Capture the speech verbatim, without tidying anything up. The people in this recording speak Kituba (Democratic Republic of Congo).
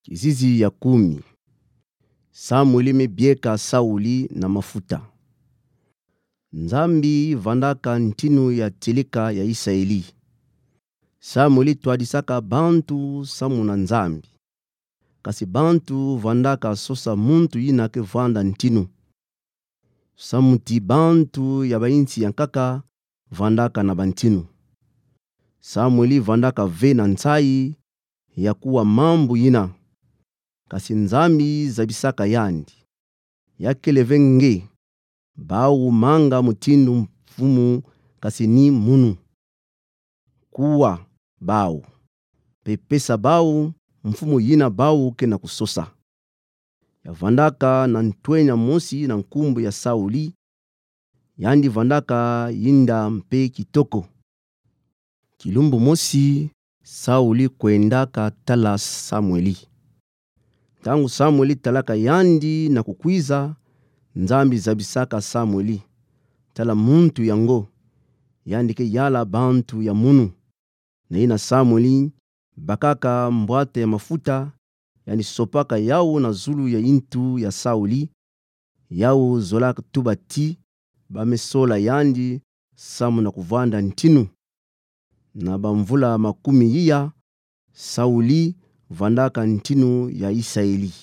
Kizizi ya kumi. Samueli mebieka Sauli na mafuta. Nzambi vandaka ntinu ya tieleka ya Isaeli. Samueli twadisaka bantu samu na Nzambi. Kasi bantu vandaka sosa muntu yina ke vwanda ntinu. Samu ti bantu ya bayinsi yankaka vandaka na bantinu. Samueli vandaka ve na nsayi ya kuwa mambu yina. Kasi Nzambi zabisaka yandi. Ya kele ve nge, bawu manga mutindu mfumu kasi ni munu. Kuwa bawu, mpe pesa bawu mfumu yina bawu ke na kusosa. Ya vandaka na ntwenya mosi na nkumbu ya Sauli, yandi vandaka yinda mpe kitoko. Kilumbu mosi, Sauli kwendaka tala Samueli. Ntangu Samueli talaka yandi na kukwiza, Nzambi zabisaka Samueli: Tala muntu yango, yandi ke yala bantu ya munu. Na yina Samueli bakaka mbwata ya mafuta, yandi sopaka yawu na zulu ya yintu ya Sauli. Yawu zolaka tuba ti ba mesola yandi samu na kuvwanda ntinu. Na bamvula makumi iya, Sauli vandaka ntinu ya Isaeli.